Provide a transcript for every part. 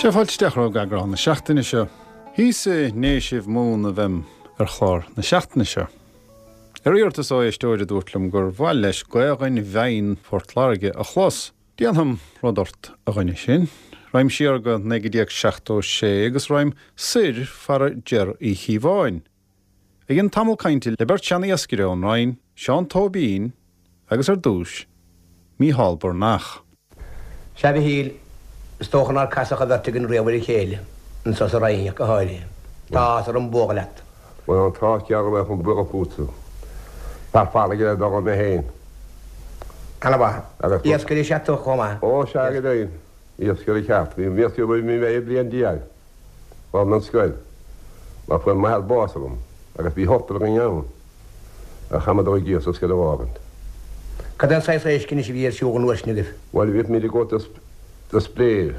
Sea, fáilte isteach romhaibh go eagrán na seachtaine seo. Thíos i nDéisibh Mumhan a bheam ar chlár na seachtaine seo. Ar iarratas ó éisteoir a dúirt liom gur mhaith leis Gaodhainn Bhinn Phort Láirge a chlos. Déanfam rud ort, a dhuine sin. Ragham siar go 1976 agus ragham soir fara Jer Uí Chíobháin. A dhein tamall cainte le beirt sean-iascaire ón Rinn, Seán Tóibín agus ar dtús, Mícheál Breathnach. Sea, a Mhichíl, is dócha nár casadh an bheirt againn riamh ar a chéile, anso sa Rinn ach go háirithe. Tá áthas orm bualadh leat. Bhuel, an t-ádh geal go mbeadh an bualadh fútsa. Fear farraige le dul mé féin. Ana-mhaith. Agus. Iascaire is ea tú chomh maith. Ó, sea, go deimhin. Iascaire ceart. Bhí mé iascaire ó bhí mé bliain déag. Fág mé an scoil mar fuair m'athair bás agam agus bhí ochtar againn ann a chaith mé dul ag iasc sa scoil a fhágaint. Cad é an saghas éisc anois a bhí ar siúl an uair sin agaibh? Bhuel bhíodh muid ag dul do Spréir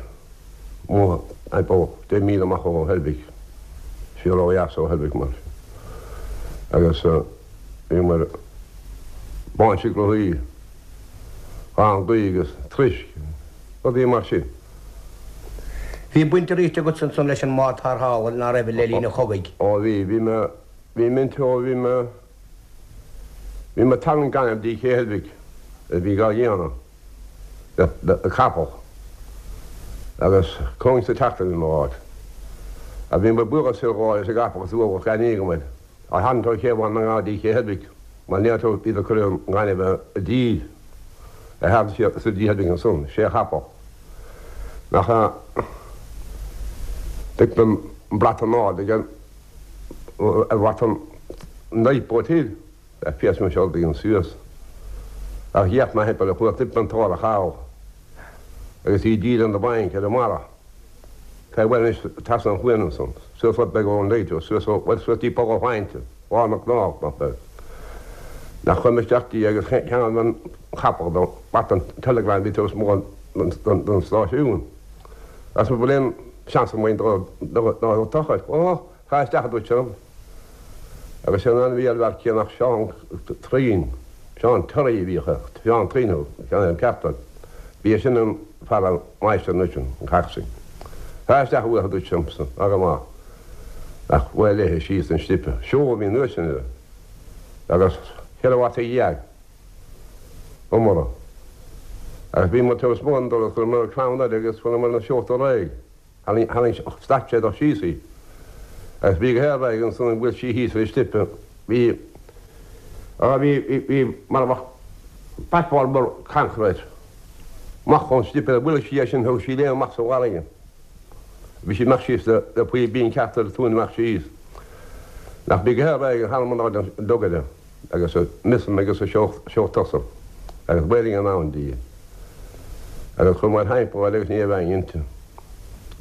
amuigh timpeall 10 míle amach ó Heilbhic, siar ó dheas ó Heilbhic mar sin. Agus bhíomar báinse grothaí, gangaí agus troisc, rudaí mar sin. Bhí baint arís agatsa ansan leis an mbád tarrthála, ná raibh, le linn an chogaidh? Ó bhí, bhí mé, bhí mé inti ó bhí mé, bhí mé ag tarraingt gainimh dtí Cé Heilbhic a bhí dhá dhéanamh le, le capall agus cóin sa tseachtain bhí mé á fháil. Agus bhí mé ag bualadh soir dhó leis an gcapall agus ualach gainimh agam air. Á tharraingt ó Ché Bhaile na nGall dtí Cé Heilbhic mar ní raibh iad ag cur an ghainimh i dtír a tharraingt siar soir dtí Heilbhic ansan, sé chapall. Nach ea? D'fheic mé an brat in airde ag an ar bhrat an lifeboat thoir a phíosa mé seo ag an suas. Ach d'fhéach mé thimpeall ar chuaigh tuip an t-árthach thall agus í díreach in the bank ar an mbarra. Tá bhuel anois trasna an chuain ansan, suas rud beag ón lighthouse, suas ó, bhuel suas dtí Poll an Phointe, lár na gcnámh, nach beag. Nach chuaigh mé isteach dtí agus cheangail mé an capall don brat an telegram a bhí taobh amuigh den stáisiún. Agus an bhfuil aon seans agam dul dul tochailt? Ó, tá isteach a dúirt sé liom. Agus sé an ainm a bhí ar an bhfear céanna ach Seán Traoin, Seán Terry a bhíodh air, Seán Traoin nó ceann ar an gceartar. Bhí é sin an fear an máistir anois an coxswain. Tá isteach uaidh a dúirt sé liomsa, ná go maith. Ach bhuail léithe síos an slipe. Seol a bhí an uair sin air. Agus cheithre bhata dhéag iomartha. Agus bhí muid taobh amuigh den doras, chuireamar crann uirthi agus chuireamar na seolta réidh. Tharraing, stad sé dó síos í. Agus bhí go haer réidh ansan an bhfuil sí thíos ar an slipe. Bhí, á bhí, bhí, bhí mar a bheadh platform mór cancair air. Amach ón slipe, bhuail sí é sin, thug sí léim amach sa bhfarraige. Bhí sí amach síos le, le poill binn ceart ar an tóin amach síos. Nach bhí go haer réidh, tharraing an áit an dogaire. agus a mizzen agus a seol tosaigh agus bailing anonn di agus chuamar thimpeall air agus ní raibh éinne inti.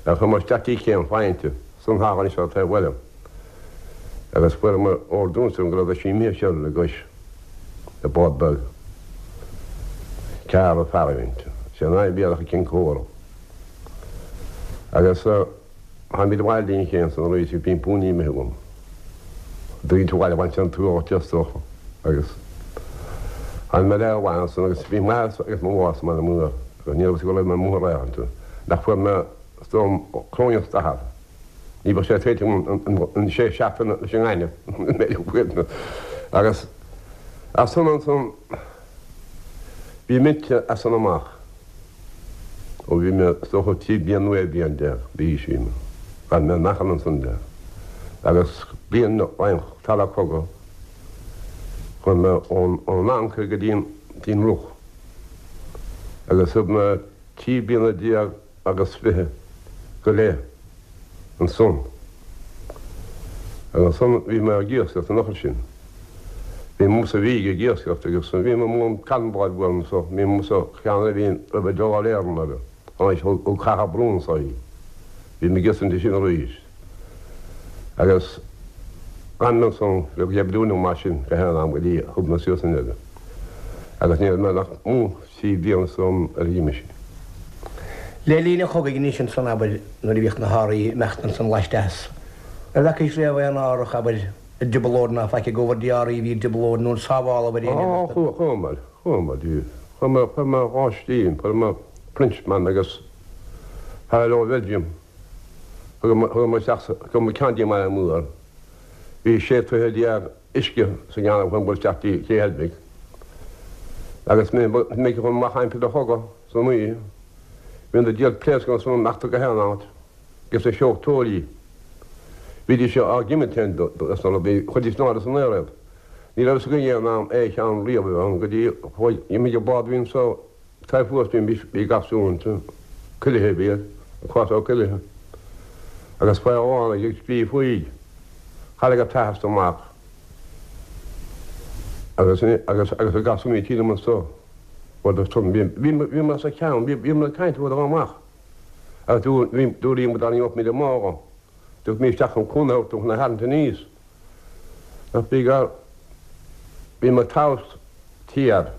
Ach chuamar isteach dtí Cé an Phointe san thall anseo taobh bhaile agus fuaireamar ordú ansan go raibh sí imithe siar le gcois i bád beag. Ceathrar fear a bhí inti. Sé an ainm a bhí air ach Cionn Cora. Agus. Tháimid abhaile dtí'n ché ansan arís bhí puinn imithe agam. Daoine abhaile bhain sé an t-ualach de is dócha agus tháinig mé le abhaile ansan agus bhí m'athair agus mo mháthair sa mbaile mór agus ní raibh fhios go raibh mé amuigh ar aon nach fuair mé is dóigh cróineach d'athair. Ní bheadh sé téite agam an sé seachtaine leis an ngaineamh mé agus as san ansan bhí mise as san amach. Ó bhí mé, is dócha, 13 bliain nó 16 bliain d'aois bhí mé. D'fhan mé in Acaill ansan de. Agus bliain roimh an cogadh, chuaigh mé ón Fhrainc go dtí an, dtí an Rúis. Agus thug mé 13 bliana agus fiche go leith ansan. Agus ansan bhí mé ag iascaireacht an uair sin. Bhí mé sa Mhíg ag iascaireacht agus bhí mé amuigh an cannonball bhuail anso, bhí mé sa cheann a bhí roimh an dul Éireann air, tháinig ó Cathal Brún anso í. Bhí mé ag iascaireacht ansin arís. Agus d'fhan mé ansan le go deich bliana nó mar sin go haon am go dtí thug mé suas an oiread. Agus ní raibh mé nach mó 3 bliana san ar dhíoma sin. Le linn an chogaidh anois ansan, abair, nuair a bhíodh na hárthaí ag imeacht ansan laisteas, ar bhfeacaís riamh aon árthach, abair, i dtrioblóid ná faic ag gabháil dtí árthaí a bhí i dtrioblóid nó an sábháladh ar éinne Á, chuamar, chuamar, chuamar, chuir mé dhá slí, chuir mé Frenchman agus fear ó Bheilgium. Chuamar isteach sa, chuamar ceann díobh amach mór. Bhí 16 troithe uisce sa gceann a chuamar isteach dtí Cé Heilbhic. Agus mé mé chun amach aimsir an chogaidh san oíche, bhí na diabhal pléascanna san imeachta go haon áit, agus na seoltóirí, bhídís á gcimilt féin dos na rudaí, chuiridís in airde san aer iad. Ní raibh fhios againn aon am aon cheann riamh a bheith ann go dtí chuaigh, imigh an bád a bhí anso, Taobh thuas bhí bhí garsún ansin, Cuilithe a bhí air, an Cás Ó Cuilithe, agus fear amháin ag scríobh faoi. Tharraing an t-athair sa mac agus agus agus an garsún bhí tinn anso. Bhuel san bhí bhí bhí mé sa cheann bhí bhí mé ag caint uair amach agus dúr bhí dúraí muid dá n-imeodh muid amach. Dúirt mé isteach chun cúnamh a thabhairt dó chun a tharraingt aníos. Ach bhí gar, bhí mo tomhas tiar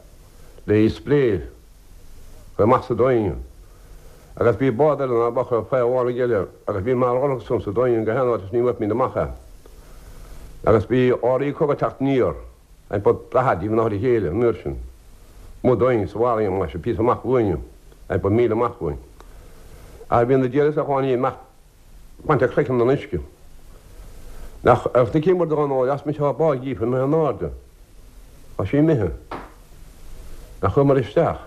le spré chomh maith sa doing agus bhí bád eile ná beadh ar feadh amháin eile agus bhí mar orthu san sa doing go haon áit is ní bhfuair amach é. Agus bhí áirí cogadh teacht aniar an bod 40 díobh in áit a chéile an uair sin. Mo doing sa bharraí amach, píosa amach uainn, an bod míle amach uainn. Ach bhí na diabhail is a tháinig amach Baint a cloigeann den uisce. Nach ar na cinn don óir as mise á bá dhíofa imithe in airde. Tá sí imithe. Nach chuamar isteach.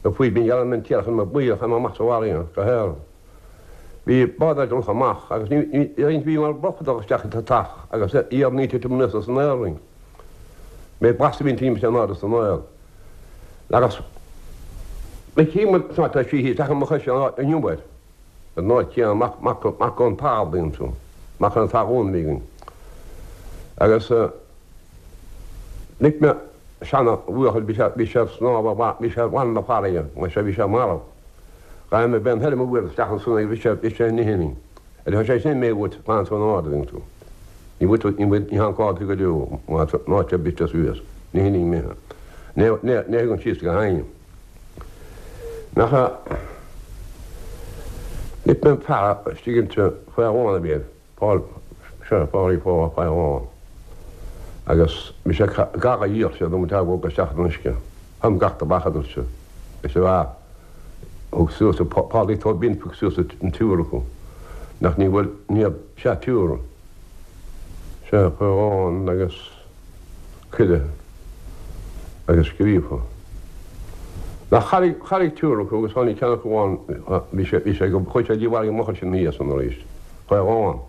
Na faoi binn ghearr an tír chun mo bhuíoch chun amach sa bhfarraige go haer. Bhí bád ar dul amach agus ní ní bhí mar bhroc dul isteach sa teach agus iar ní titim anuas san aer orainn. Mé blas a bhíonn timpeall in airde san aer. Agus na cinn tá sí thíos ach mo chois an iomair. Ar ndóigh, cé an mac, mac, mac ón talamh a bhí ansin, mac an talún a bhí againn. Agus chonaic mé seana bhuachaill, bhí sé, bhí sé ag snámh ar bharr, bhí sé ar bharr na farraige, mar sea, bhí sé marbh. Ghabh mé b'é an thoir mo bhuail isteach ansan agus bhí sé, bhí sé in ithir. Ar tá sé sin mé uait, fan san ard a bhíonn tú. Ní bhfuil tú, ní bhfuil, ní thagann cá tú go deo, má tá, má tá briste suas, ní hin mé. Ní, ní, ní thugann síos go haon. Nach ea? Chonaic mé fear istigh inti faoi amháin a bhí air, Paul, seo, Pádraig Phó faoi amháin. Agus bhí sé gar a dhíol sé dom an teach bhog isteach san uisce. Thom gach tobac a dúirt sé. Is ea, thug suas a Pádraig Tóibín thug suas an triúr acu. Nach ní bhfuil, ní raibh, sea triúr. Sea, faoi amháin agus. Cuireadh agus scríofa. Nach tharraing, tharraing triúr acu agus tháinig ceann acu amháin, bhí sé, bhí sé go, chuaigh sé dtí bhfarraige amach ansin thíos ann arís, faoi amháin.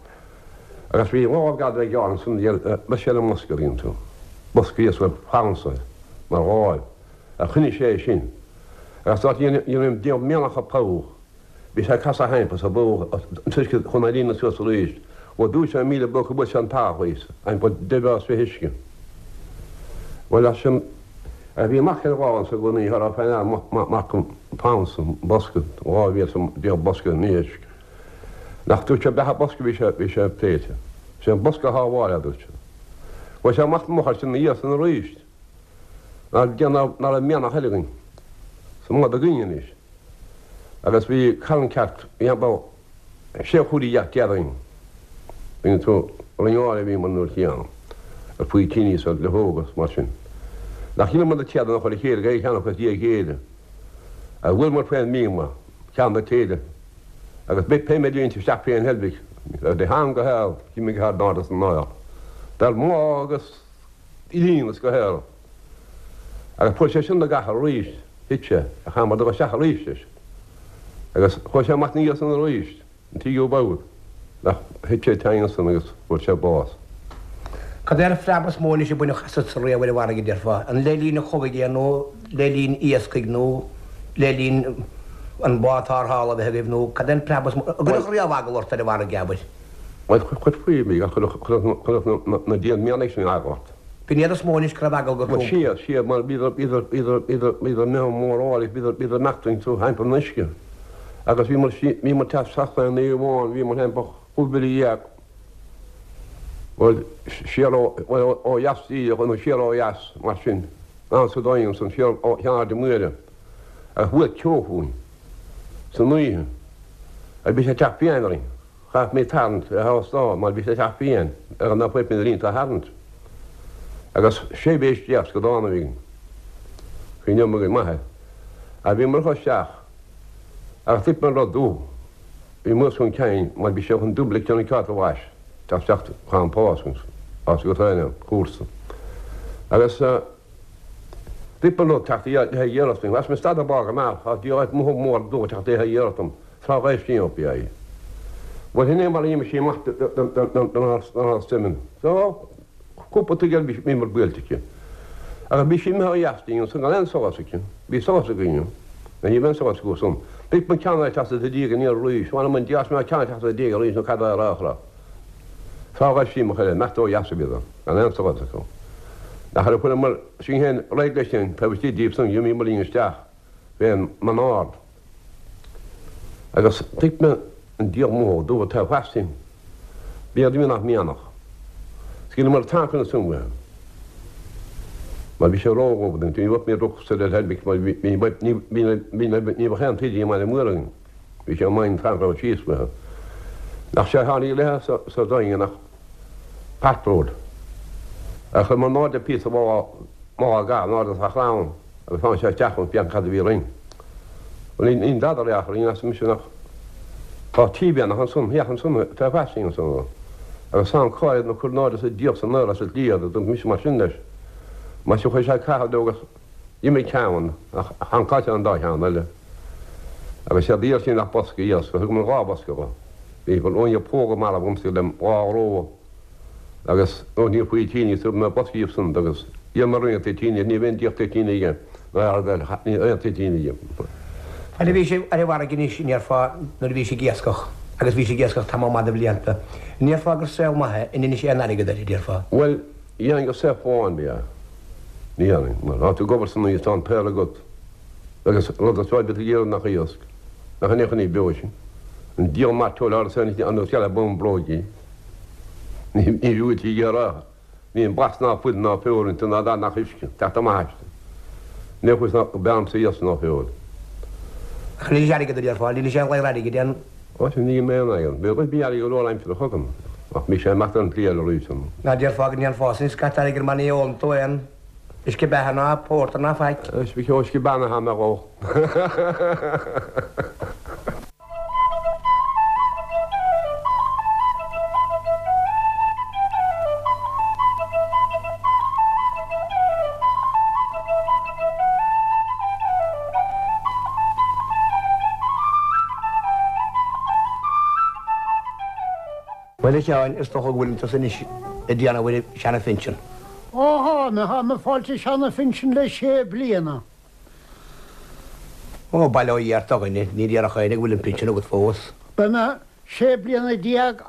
Agus bhí lámh gad le gearr ansan, bheadh sé le mbosca iontu, bosca thíos le fansa mar dháil, a choinnigh sé é sin. Agus dá dhéanfainn déanamh mianach a poll, Bhí sé ag casadh thimpeall sa bhóthar an t-uisce chun a líonadh suas arís. Bhuel dúirt sé 1000 buc a bhfuil sé an t-each thíos, an bhfuil deimheas fé uisce. Bhuel as sin a bhí amach ar lá anso go ní raibh féin ann mac an pounds an bosca 12 bosca in uisce. Nach dúirt sé beatha bosca bhí sé bhí sé pléite. Sé an bosca a shábháil a dúirt sé. Bhuel sé amach an mbothar sin a san arís. Ná déanamh ná raibh mianach eile againn. Sa mbád againn anois. Agus bhí carn ceart, bhí about sé chúig dheach déarfainn, bhí tú, Rinn Áir a bhíomar an uair chéanna, ar faoitíní is ar luchóga is mar sin. Nach dheineamar na téadanna a chur a chéile, gach ceann acu as dhiaidh a chéile. Agus bhuaileamar faoin mbíoma, ceann na téide, agus pé méid a bhí inti isteach fén heilbhic, de theann go heal, d'imigh thar an ard san aer. Dar má agus. líon is go haer. Agus fuair sé sin na gcathair arís, thit sé, ach chaith mar dul isteach arís leis. Agus chuaigh sé amach ina dhiaidh san arís, an tríú babhta, ach thit sé tinn ansan agus fuair sé bás. Cad é an phreab is mó anois a baineadh asatsa riamh ar an bhfarraige, déarfá? An le linn an chogaidh é nó le linn iascaigh nó le linn an bád tarrthála a bheith agaibh nó cad é an preab is mó a gcuirfeadh riamh eagal ort ar an bhfarraige, abair? Bhuel, chuir faoi mé, chuirfeadh na dian mianaigh sin eagal ort. B'in iad is mó anois go raibh eagal go Bhuel, sea, sea, mar bhíodar, bhíodar, bhíodar, bhíodar, bhíodar imithe mór áirithe, bhíodar, bhíodar imeacht iontu thimpeall an uisce. Agus bhíomar, bhíomar teacht trasna an oíche amháin, bhíomar thimpeall 15,000, bhuel, siar ó, bhuel, ó dheas díreach, nó siar ó dheas, mar sin, ann sa dóigh ansan, siar ó Cheann Aird Mhuire, agus bhuail ceo fúinn, san oíche, agus bhí sé ag teacht fiáin orainn. Chaith mé tarraingt ar thástáil mar bhí sé teacht fiáin ar an fuip ina línte a tharraingt. Agus sé mhéis déag scadán a bhí againn. Cuimhneoidh mo mhaith air. Ach bhíomar chomh isteach agus thit an rud dubh. Bhí amuigh chun cinn mar bhí sé chun dúbailt an ceárta mhais teacht isteach chun pás as go féin an cúrsa. Agus bhí an rud teacht le haghaidh iarracht dom. As mé stad a bágh amach as bhí áit mór mór dó teacht le haghaidh iarracht dom tráth ghaibh sí op í. Bhuel sin é mar a d'imigh sí amach don Simon. So Cúpla tigh eile bhíomar buailte aici. Agus bhí sí imithe ó dheas dínn ansan gan aon sólás aici. Bhí sólás againn. Nó ní raibh aon sólás acu san. Bhí an ceann eile ag teacht i do dhiaidh aniar arís. Mh'anam 'on diabhal mé an ceann ag teacht i do dhiaidh arís nó cad é a rá. Tráth ghaibh sí amach eile, imeacht ó dheas a bhíodar, gan aon sólás acu. Nach raibh fuaireamar sinn féin réidh leis sin taobh istigh díobh san, d'imíomar linn isteach fén mbun ard. Agus thuig mé an diabhal mó dubh atá fairsing. Bhí ar mhianach mianach. Scaoileamar tancanna ansan uathu. Mar bhí sé ródhubh dúinn. Ní bheadh mé droch-sa le heilbhic mar bhí ní ní bheadh aon taoide i mBaile Móir againn. Bhí sé maith an tanc raibh síos uathu. Nach sé a tháinig léithe sa daingean ach patrol. Ach chuir muid in airde píosa má ga in airde sa chrann. Agus tháinig sé isteach chun féachaint cad a bhí orainn. Bhuel, níl dada ar aon chor orainn, arsa mise, nach tá T-bheannach ansan, féach ansan, tá fairsing ansan. Agus tá an cáil na cur in airde sa diabhal san aer as an tslí a dúirt mise mar sin leis. Mar sin chuir sé caitheamh leo agus d'imigh ceann, ach thankáil sé an dá cheann eile. Agus séard a d'iarr sí nach bosca iasc, thug mé dhá bhosca dho. Bhí an póga marbh agamsa le dhá ró. Agus ó ní faoi tine thug mé bosca díobh san agus dhíol mé roinnt toitíní ní bheinn díol toitíní aige ná ar bheal ní aon toitíní aige. Fad a bhí sibh ar an bhfarraige anois an ndéarfá nuair a bhí sibh ag iascach agus bhí sibh ag iascach tamall maith de bhlianta, an ndéarfá gur saol maith é, an ndeinis aon airgead air, a déarfá? Bhuel, dhéarfainn gur saol amháin ba ea. Ní dhéarfainn, mar tá tú ag obair san oíche tá an t-aer agat agus rud is fearr bíonn tú ag iarraidh nach iasc, nach in aon chor ní beo sin. An diabhal mairteoil ard is an scealla bun bróige. Ní bhfuil sí ag iarraidh. Níl blas ná fuil ná feoil inti ná dath nach uisce. Teacht amach aisti. Ní chuir ná bean sa iasc ná feoil. Ach níl airgead a déarfá, níl sé aon ghlaor airgid aon. Ó sin ní mé aon airgead. Bhí bhí airgead go leor aimsire chugam ach bhí sé imeacht ar an tslí eile arís. Ná déarfá go ndéanfá sin scata airgid mar ní ólann tú aon uisce beatha ná pórtar ná faic. Uisce beannaithe mé dhó. Bhuel, a Sheáin, is dócha go bhfuileann tusa anois ag déanamh ar seana-phinsean. Ó thá mé, thá mé ag fáilt an seana-phinsean le sé bliana. Ó, bail ó Dhia ort a dhuine, ní déarfadh éinne go bhfuil an pinsean agat fós. Beidh mé sé bliana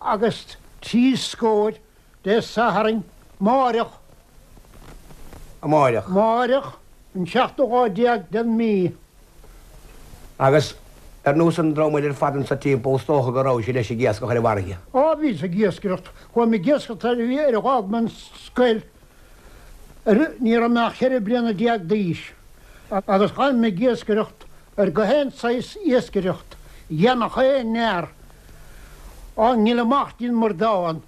agus trí scóir Dé Sathairn, máireach. Amáireach. Máireach, an seachtú lá déag den mí. Agus ar nós an dream eile ar fad anso timpeall, is dócha go raibh sibh leis ag iascach ar an bhfarraige. Á, bhíos ag iascaireacht. Chuaigh mé ag iascaireacht ar ar dh'fhág mé an scoil. Ní raibh mé ach cheithre bliana déag d'aois agus ghabh mé ag iascaireacht ar gach aon saghas iascaireacht a dhéanfadh aon fhear á ngoil amach dtí'n mBradán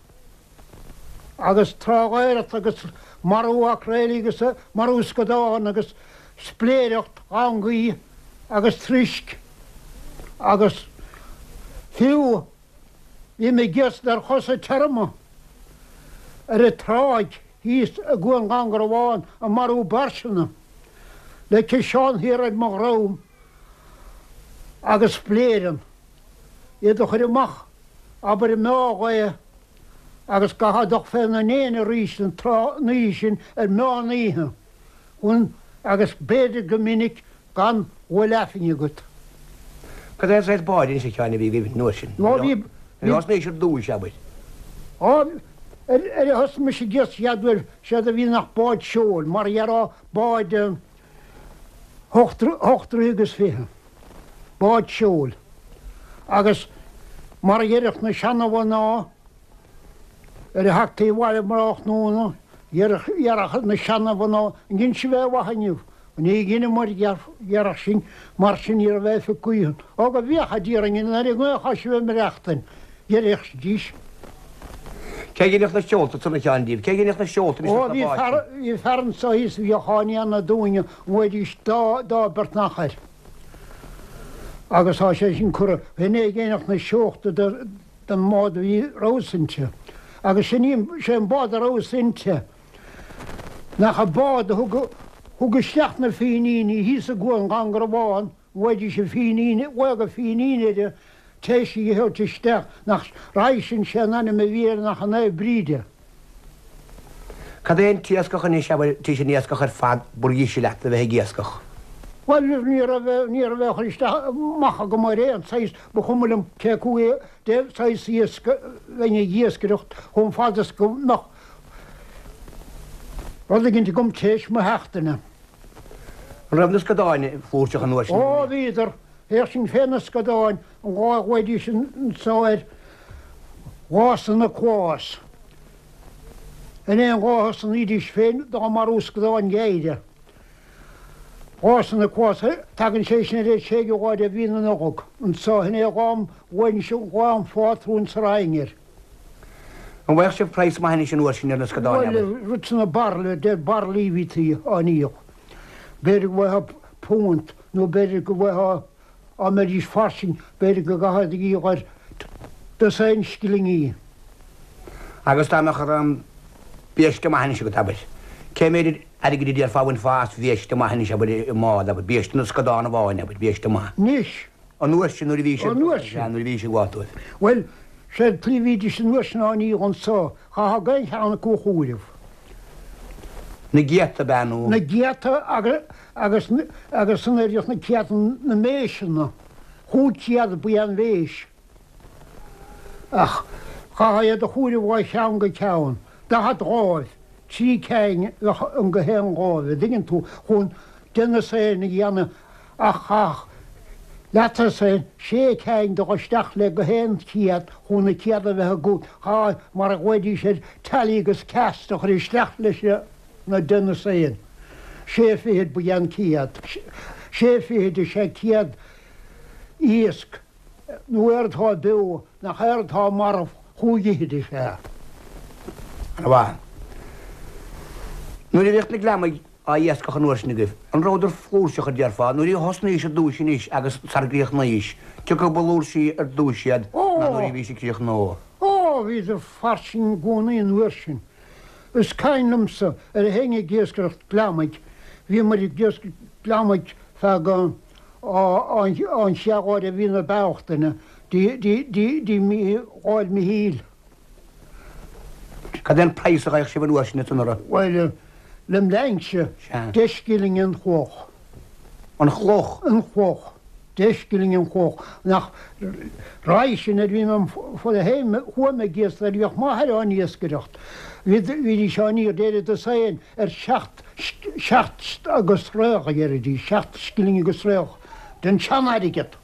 agus trálaeireacht agus marú acraeilí agus marú scadán agus spléireacht langaí agus troisc agus fiú Bhí mé ag iascaireacht ar chosa tirime ar an tráigh thíos i gCuan Dhún Garbhán ag marú bairseanna le ciseán thiar ar mo dhroim agus spléireann, iad a chur amach, abair i meán lae agus gcaithfeá dul féna ndéin arís an tráth an oíche sin ar meán oíche chun agus b'fhéidir go minic gan bhfuil aifinn agat. Cad é an saghas báid anois a Sheáin a bhí agaibh an uair sin? Ó bhí, bhí. Ar thosnaís ar dtúis, abair? Á, ar, ar a thosaigh mise ag iascach an chéad uair, séard a bhí ann ach bád seoil, mar a dhéarfá bád hocht, hocht dtroithe agus fiche. Bád seoil. Agus mar a dheireadh na seana-mhná, Ar a theachtaí abhaile um thráthnóna, dhéarfadh na seana-mhná, An ndein sibh aon mhaith inniu? Ní dheineamair, dhéarfadh sinn, mar sin ní raibh aon phioc gaoithe ann. Ó go bhféacha Dia orainn an ar an ngaoth atá sibh ag maireachtain, deiridís. Cé a dheineadh na seolta san a Sheáin díobh? Cé a dheineadh na seolta anois Ó bhí fear, bhí fear anso thíos a bhíodh á ndéanamh dúinne, an bhfaighidís dá, dá beirt nach air. Agus tá sé sin curtha, shin é ag éineacht na seochta den mbád a bhí rabhas inti. Agus sin í, sé an bád a rabhas inti, nach an bád a thug, thug isteach na Fíníní thíos i gCuan Ghangarbhán, bhfaighidís an Fínín, bhfaigheadh an Fínín air, théis í a thabhairt isteach, nach raibh sin, sé an ainm a bhí air nach an Naomh Bríde. Cad é an t-iascach anois, abair, tís an iascach ar fad ba dheise leat a bheith ag iascach? Bhuel, ní raibh, ní raibh aon chur isteach amach agam ar aon saghas, ba chuma liom cé acu é de saghas iasc a bheinn ag iascaireacht chomh fada is go mbeadh rud éigint agam théis mo sheachtaine. An raibh na scadáin flúirseach an uair sin? Ó, bhíodar. Bhíodh sin fé na scadáin an lá a ghlaoidís anso air Lá San Nioclás. In aon lá a thosnaídís féin dá marú scadáin ghéire. Lá San Nioclás, tagann sé sin ar an séigiú lá de mhí na Nollag. Anso, shin é an lá a ghlaoidís Lá an Phátrúin sa Rinn air. An bhfaigheadh sibh praghas maith anois an uair sin ar na scadáin, abair? Bhuel, rud sna bairille, de bairillí a bhítí á ndíol. B'fhéidir go bhfaighfeá punt nó b'fhéidir go bhfaighfeá, dá mbeidís fairsing, b'fhéidir go gcaithfeá a dhíol ar dosaen scillingí. Agus dá mbeadh an biaiste maith anois agat, abair, cé méid airgid a déarfá a bhainfeá as bhiaiste maith anois, abair, i mbád, abair, biaiste na scadán amháin, abair, biaiste maith. Anois. An uair sin nuair a bhí siad. An uair sin. Nuair a bhí siad ag gabháil dóibh. Bhuel, sé an tslí a bhídís an uair sin á ndíol anso, chaithfeá aon cheann acu a chomhaireamh. Na gcéadta ab ea nó? Na gcéadta agus, agus san oiread na céadta na méiseanna. Chúig chéad ba ea an mhéis. Ach chaithfeá iad a chomhaireamh ó cheann go ceann. 40 dháimh, trí cinn a bheadh ann go haon dháimh, a dtuigeann tú, chun deich ndosaen a dhéanamh ach chaithfeadh leathdhosaen, sé cinn dul isteach le gach aon chéad chun na céad a bheith agat, chaithfeá, mar a ghlaoidís air, tally agus cast a chur isteach leis na deich ndosaen. Sé fichid ba ea an céad. Sé fichid is ea céad iasc. Nó éard atá beo, nach éard atá marbh, chúig fhichid is ea. Ana mhaith. Nuair a bhíodh na gliomaigh á iascach an uair sin agaibh, an rabhadar flúirseach, a déarfá, nuair a thosnaís ar dtúis anois agus sar gcríochnaís, cé acu ba fhlúirsí ar dtúis iad ná nuair a bhís ag críochnú? Ó, bhíodar fairsing i gcónaí an uair sin. Is cuimhin liomsa ar a théinn ag iascaireacht gliomaigh, bhíomair ag iascaireacht gliomaigh feadh an, an chéad lá de mhí na Bealtaine, dtí mí Dháil Mhichíl. Cad é an praghas a gheibheadh sibh an uair sin ansan orthu? Bhuel, lem linnse, deich scilling an chloch. An chloch? An chloch. Deich scilling an chloch. Nach roimhe sin nuair a bhí mé fad a chuaigh mé ag iascaireacht, nuair a bhíodh m'athair á n-iascaireacht, bhídís á ndíol, déarfainn dosaen ar sheacht, seacht agus thraoch a deiridís, seacht scilling agus thraoch den tsean-airgead.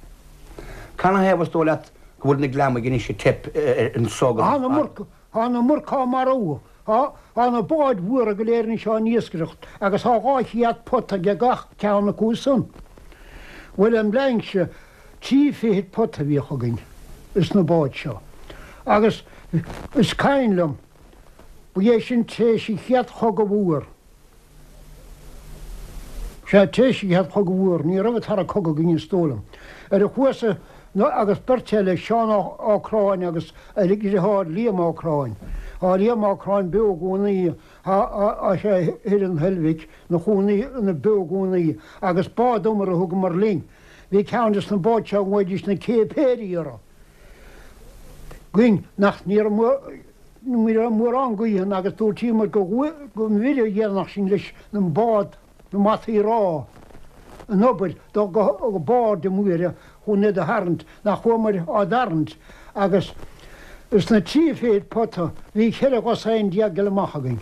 Canathaobh is dóigh leat go bhfuil na gliomaigh anois ag teip anso go. Tá na murc, tá na murc á marú, tá, tá na báid mhóra go léir anois á n-iascaireacht agus tá 200 pota ag gach ceann acu san. Bhuel, lem linnse, trí fichid pota a bhíodh againn ins na báid seo agus is cuimhin liom, Ba é sin tar éis an Chéad Chogadh Mhór. Sea, tar éis an Chéad Chogadh Mhór, ní raibh an tAra Cogadh againn is dóigh liom. Ar a chuas-sa agus beirt eile, Seán Ó Cráin agus a dheartháir Liam Ó Cráin. Tá Liam Ó Cráin beo i gcónaí, tá sé thoir in Heilbhic, ina chónaí, ina beo i gcónaí, agus bád iomaire a thugamar linn. Bhí ceann des na báid seo a nglaoidís na Céipéirí orthu. Againn nach ní raibh mórán gaoithe ann agus dúirtíomar go mhuire a dhéanfadh sinn leis an mbád na mbataí rámha an obair dul go barr de Mhuire chun iad a tharraingt, nach chuamair á dtarraingt agus sna trí fichid pota bhí cheithre dhosaen déag ag dul amach againn.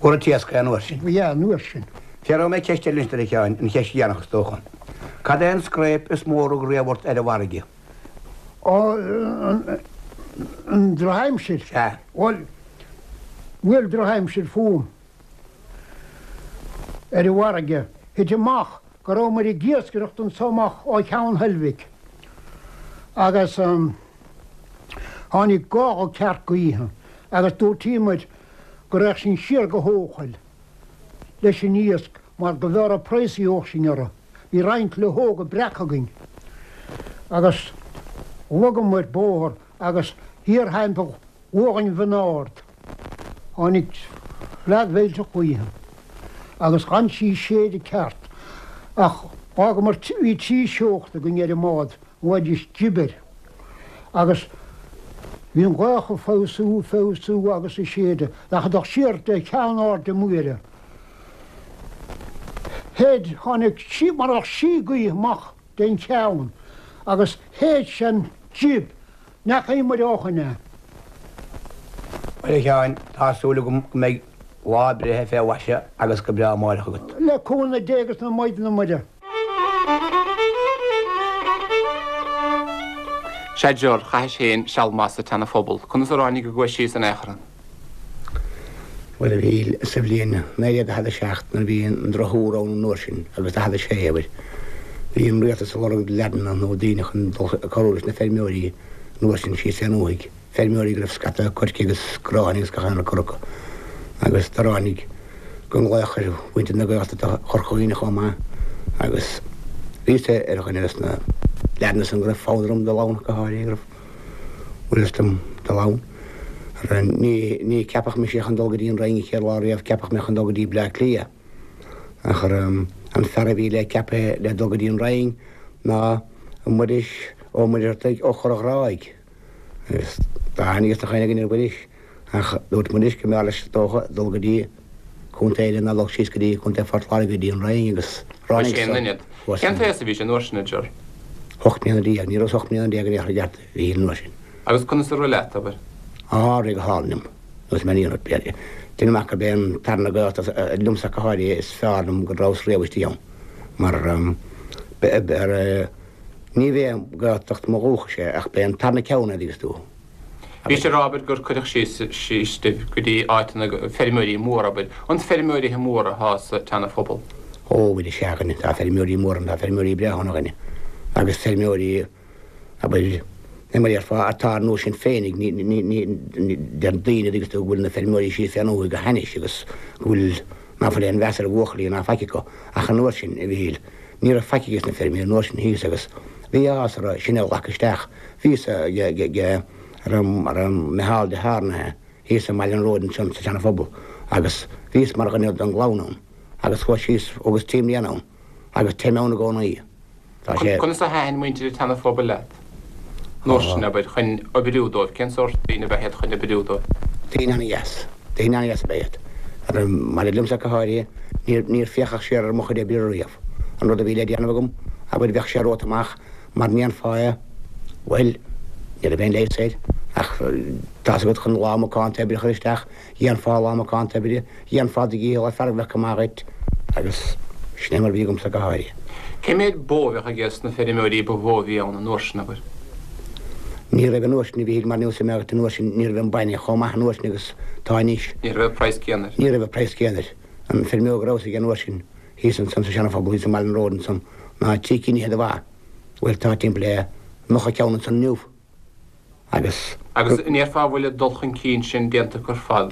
Mhór an t-iasc é an uair sin. Ba ea, an uair sin. Fiafróidh mé ceist eile anois, a Sheáin, an cheist dheireanach is dócha. Cad é an scréip is mó a rug riamh ort ar an bhfarraige? Ó, an drochaimsir? Sea. Bhuel, bhuail drochaimsir fúm ar an bhfarraige. Thit amach go rabhamar ag iascaireacht anso amach ó Cheann Heilbhic agus tháinig gála ceart gaoithe agus dúirtíomar go raghadh sinn siar go hEochaill leis an iasc mar go bhfearr an praghas a gheobhadh sinn orthu. Bhí roinnt luchóga breaca againn agus shlogamar bóthar agus thiar thimpeall Ghuagainn Bhinn Ard. Tháinig fleadh mhillteach gaoithe agus dh'fhan sí ag séideadh ceart ach dh'fhágamar, bhí trí seocht againn ar an mbád, a nglaoidís jib air, agus bhí an ghaoth ag feabhsú, ag feabhsú agus ag séideadh, ach ag dul siar de Cheann Airde Mhuire. Shéid, tháinig sí, mar a bheadh sí gaoithe amach den cheann agus shéid sé an jib, n'fheacaigh muid ó shoin é. Bhuel, a Sheáin, tá súil agam go mbeidh lá breithe fé mhaise agus go breá amáireach agat. Le cúnamh Dé agus na Maighdine Muire. Sea, Ger, chaithis féin seal maith sa tSeana-Phobal. Conas ar tháinig a gcuais síos in aon chor ann? Bhuel, a Mhíchíl, sa bhliain 1947 nuair a bhí an drochthuar ann an uair sin, agus 46, abair, bhí an rialtas ag lorg leaideanna nó daoine chun dul ag cabhrú leis na feirmeoirí an uair sin síos fén ndúthaigh, feirmeoirí go raibh scata coirce agus gráin agus gach aon rud curtha acu. Agus do ráinig go nglaoch ar mhuintir na Gaeltachta Chorca Dhuibhne chomh maith agus bhíos-sa ar dhuine des na leaideanna san go raibh fonn orm dul ann go háirithe, go raibh. Bhfuil fhios dom dul ann. Ní, ní ceapadh mise chun dul go dtí an Rinn an chéad lá riamh, ceapadh mé chun dul go dtí Bleá Cliath. Ach an fear a bhí le ceapadh le dul go dtí an Rinn ná Muiris Ó Muircheartaigh ó Chorr an Ghráig. Agus tá aithne ag gach aon duine ar Mhuiris. Ach dúirt Muiris go mb'fhearr leis is dócha dul go dtí contae eile ná dul síos go dtí Contae Phort Láirge go dtí an Rinn agus ráinig san. Cén t-aos a bhí sé an uair sin, a Ger? 18 mbliana, ní rabhas 18 mbliana in aon chor i gceart a Mhíchíl an uair sin. Agus conas a rith leat, abair? Á, rith go hálainn liom. Agus mé ní rud Déanaim amach gurb é an tarna Gaeltacht liomsa go háirithe is fearr liom go rabhas riamh istigh ann. Mar ní b'é Gaeltacht mo dhúchais é ach b'é an tarna ceann é, an dtuigeanns tú. Bhís ag rá, abair, gur cuireadh síos síos sibh go dtí áiteanna feirmeoirí móra, abair. An feirmeoirithe móra atá sa tSeana-Phobal? Ó, bhuel, is ea, a dhuine, tá feirmeoirí móra ann, tá feirmeoirí breátha ann, a dhuine. Agus feirmeoirí, abair, mar a déarfá, atá ar nós sinn féinig, ní, ní, ní, ní, deir daoine, dtuigeanns tú, go bhfuil na feirmeoirí síos fén ndúthaigh go hainnis agus go bhfuil, ná fuil aon mheas ar bhuachaillí ná faic acu. Ach an uair sin, a Mhíchíl, ní raibh faic ages na feirmeoirí an uair sin thíos agus bhí áthas orthu sinn a ghlacadh isteach. Bhíos ag Micheál de hArnaithe thíos i mBaile an Róid ansan sa Seana-Phobal agus bhíos mar dhuine den gclann ann agus chuas síos thugas trí mbliana ann agus téim ann i gcónaí. Tá sé. Conas a thaitin muintir an tSeana-Phobail leat an uair sin, abair, chun oibriú dóibh? Cén sórt daoine ab ea iad chun oibriú dóibh? Daoine ana-dheas. Daoine ana-dheas ab ea iad. Maidir liomsa go háirithe, níor, níor féachadh siar ar mo chuid oibre riamh. An rud a bhí le déanamh agam, abair, bheadh sé romhat amach Mar ndéanfá é, bhuel, ní raibh aon leigheas air, ach tá's agat chun lá macánta oibre a chur isteach, dhéanfá lá macánta oibre, dhéanfá do dhícheall ar fear a bheadh go maith dhuit, agus sin é mar a bhí agamsa go háirithe. Cé mhéad bó a bheadh ages na feirmeoirí ba mhó a bhí ann an uair sin, abair? Ní raibh an uair sin, a Mhíchíl, mar níl suim agat an uair sin, ní raibh an bainne chomh maith an uair sin agus tá anois. Ní raibh an praghas céanna air. Ní raibh an praghas céanna air. An feirmeoir go rabhas aige an uair sin, thíos ansan sa Seana-Phobal, thíos i mBaile an Róid ansan, ná trí cinn fhichead de bha. Bhuel, tá timpeall le 90 ceann ansan inniu. Agus. Agus an ndéarfá an bhfuil an dul chun cinn sin déanta acu ar fad,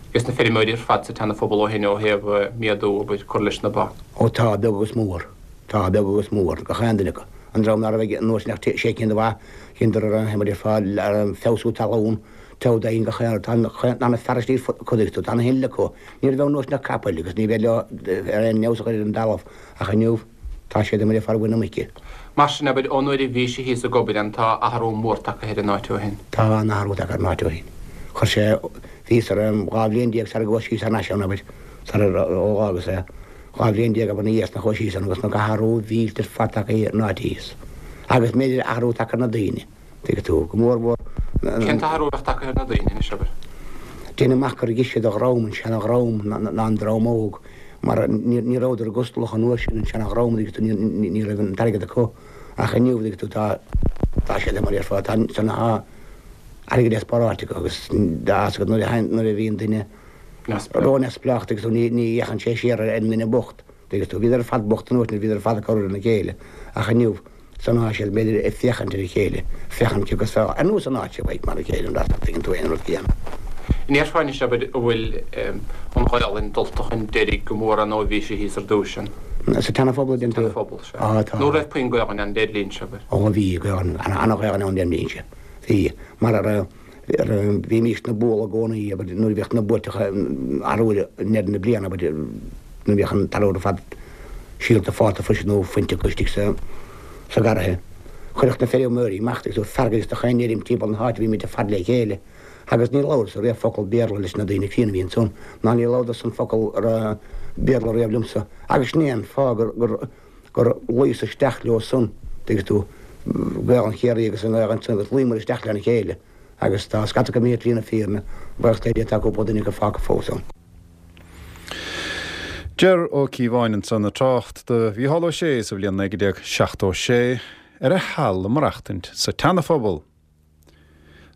ages na feirmeoirí ar fad sa tSeana-Phobal ó shin ó thaobh méadú, abair, cur leis na ba? Ó tá, beag agus mór. Tá, beag agus mór, gach aon duine acu. An dream ná raibh aige an uair sin ach sé cinn de bha, dheineadar ar an, mar a déarfá, ar an feabhsú talún, togha d'fhoinn gach aon rud. Tá na fearaistí ar fud, cuid acu, tá na hinnill acu. Ní raibh ann an uair sin ach capaill agus ní bheadh leo ar aon fheabhas a chur ar an dtalamh ach inniu tá siad mar a déarfá ar mhuin na muice. Mar sin, abair, ón uair a bhís thíos ag obair ann tá athrú mór tagtha ar an áit ó shin. Tá an-athrú tagtha ar an áit ó shin. Chuir sé, bhíos ar 12 bhliain sara gcuas síos thar n-ais ann, abair, sar ó dh'fhágas é, 12 bhliain abair ina dhiaidh san a chuas síos ann agus na athrú mhillteach ar fad tagtha ar an áit thíos. Agus b'fhéidir athrú tagtha ar na daoine. Tuigeann tú, go mór mhór. Cén t-athrú a bheadh tagtha ar na daoine anois, abair? Déanaim amach gur gise de dhream, an seana-dhream, ná an dream óg, mar ní rabhadar gustalach an uair sin, an seana-dhream, tuigeann tú, ní raibh an t-airgead acu. Ach inniu, tuigeann tú, tá, tá siad, mar a déarfá, tá, tá airgead le spáráilt acu agus tá fhios agat nuair a, nuair a bhíonn duine ró-neamhspleách, tuigeann tú, ní, ní fhéachann sé siar ar an nduine bocht, tuigeann tú. Bhíodar ar fad bocht an uair sin, bhíodar ar fad ag cabhrú lena chéile. Ach inniu, San áit siad, b'fhéidir, ag féachaint ar a chéile, féachaint cé acu is fearr, ar nós an áit seo, like, mar a chéile, an dtuigeann tú aon rud céanna. An ndéarfá anois, abair, an bhfuil an Ghaelainn dulta chun deiridh go mór ann ó bhí sé thíos ar dtúis ann? Sa tSeana-Phobal a deireann tú? Seana-Phobal, sea. Á, tá. Nó raibh puinn Gaelainne ann led linnse, abair? Ó, bhí Gaelainn, ana-Ghaelainn ann lem linnse. Bhí. Mar a raibh, bhímíst-ne ag bualadh i gcónaí, abair, nuair a bhíodh na buaiteacha arbhair i ndeireadh na bliana, abair, nuair a bhíodh an t-arbhar ar fad síolta fálta freisin nó fuinte acu istigh sa, sa gharraithe. Chuirfeadh na feirmeoirí amach agus fearg agus chaon fheirm timpeall na háite, bhí muid ar fad le chéile. Agus ní labhras-sa riamh focal Béarla leis na daoine críonna a bhí ansan, ná ní labhradar-san focal Béarla riamh liomsa. Agus sin é an fáth gur, gur, gur luíos isteach leo san, tuigeann tú, Gaelainn Chiarraí agus an Ghaelainn san, agus luíomar isteach lena chéile. Agus tá scata acu imithe trí na fírinne, buíochas le Dia tá cúpla duine acu fágtha fós ann. Ger Ó Cíobháin ansan ag trácht do Mhícheál Ó Sé sa bhliain 1976 ar a sheal ag maireachtaint sa tSeana-Phobal.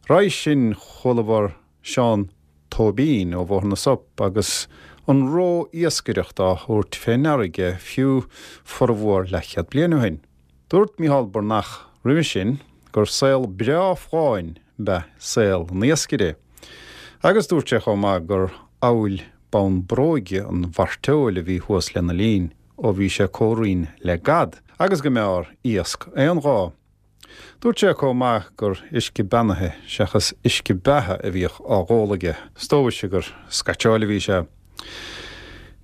Roimhe sin chualamar Seán Tóibín ó Bhóthar na Sop agus an ró-iascaireacht á thabhairt fé ndeara aige fiú formhór leathchéad bliain ó shin. Dúirt Micheál Breathnach roimhe sin gur saol breá folláin ab ea saol an iascaire. Agus dúirt sé chomh maith gur amhail bonn bróige an mhairteoil a bhí thuas lena linn ó bhí sé comhraon le gad agus go mb'fhearr iasc aon dhá. Dúirt sé chomh maith gur uisce beannaithe seachas uisce beatha a bhíodh á dh'ól aige, is dóigh gur scaitseáil a bhí sé.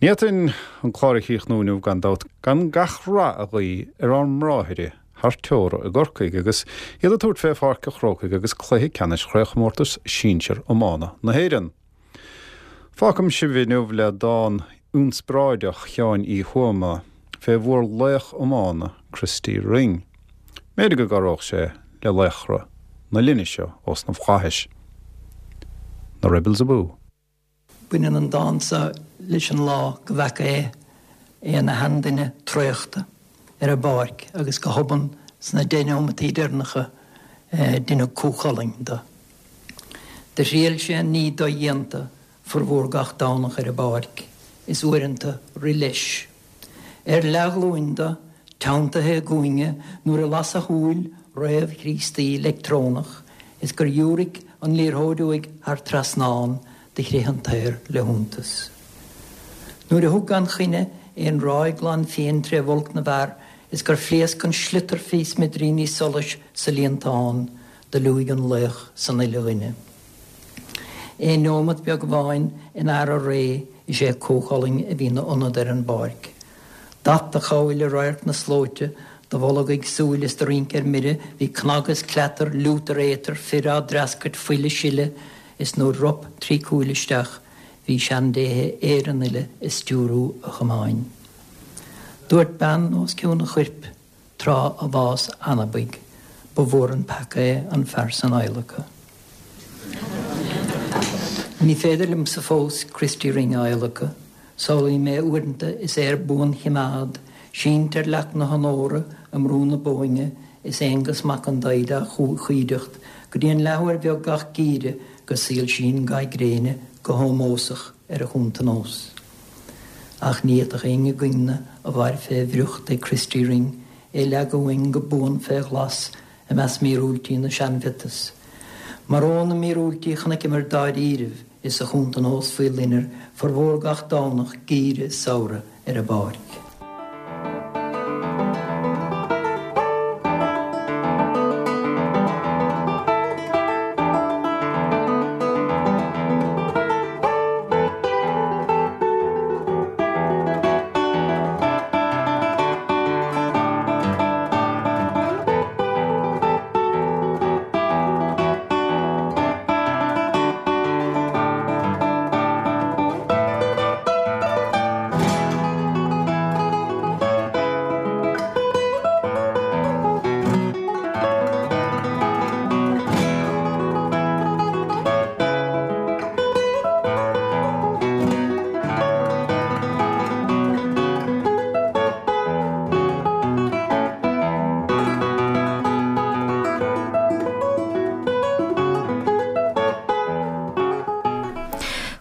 Ní fhéadfainn an clár a chríochnú inniu gan dabht gan gach rath a ghuí ar ár mbráithre thar teora i gCorcaigh agus iad ag tabhairt fé Pháirc an Chrócaigh agus cluiche ceannais Chraobhchomórtas Sinsear Iomána na hÉireann. Fágfaidh sibh inniu le dán ionspráideach Sheáin Uí Thuama fé mhór-laoch iomána Christy Ring. B'fhéidir go gcabhródh sé le laochra na linne seo ós na flaithis. Na Rebels abú! Baineann an dán seo leis an lá go bhfeaca é, é ina sheanduine traochta ar an bpáirc agus go hobann sna deich neomataí deireanacha deineadh Cú Chulainn de. Do thriail sé an ní dodhéanta formhór gach Domhnach ar an bpáirc, is uaireanta rith leis. Ar leathghlúin do, teanntaithe i gcúinne nuair a las a shúil réamh-Chríostaí leictreonach is gur dhiúraic an liathróid uaidh thar trasnán, do chrith an t-aer le hiontas. Nuair a thug gan choinne aon ráig glan fiain tré bhulc na bhfear is gur phléasc an sliotar fé smidiríní solais sa líontán, Do liúigh an laoch san uile dhuine. Aon neomat beag amháin in fhear a ré is é Cú Chulainn a bhí 'na ionad ar an bpáirc. D'at a chabhail i radharc na slóite, do bholg ag súil is do rince ar mire, bhí cnag is cleatar, liútar éatar, fir á dtreascairt, fuil a sileadh, is nuair rop tri cúil isteach, bhí seandéithe Éireann uile ag stiúrú a chamáin. Dúirt bean os cionn a choirp. Tráth a bhás anabaigh, ba mhór an peaca é an fear san adhlacadh. Ní féidir liomsa fós Christy Ring a adhlacadh. Samhlaím é uaireanta is é ar buanchimeád, sínte ar leac na honóra i mBrú na Bóinne is Aonghus Mac an Daigh dá chuideacht go dtí an leathuair bheag gach geimhreadh go soilsíonn ga gréine go hómósach ar a chuntanós. Ach ní fhéadfadh éinne againn-ne a mhair fé bhriocht ag Christy Ring é leagadh uainn go buan fé ghlas i measc míorúiltí na seanmhiotas. Mar ó na míorúiltí chonaiceamar dáiríribh is a chuntanós faoi loinnir formhór gach Domhnach, geimhreadh is samhradh ar an bpáirc.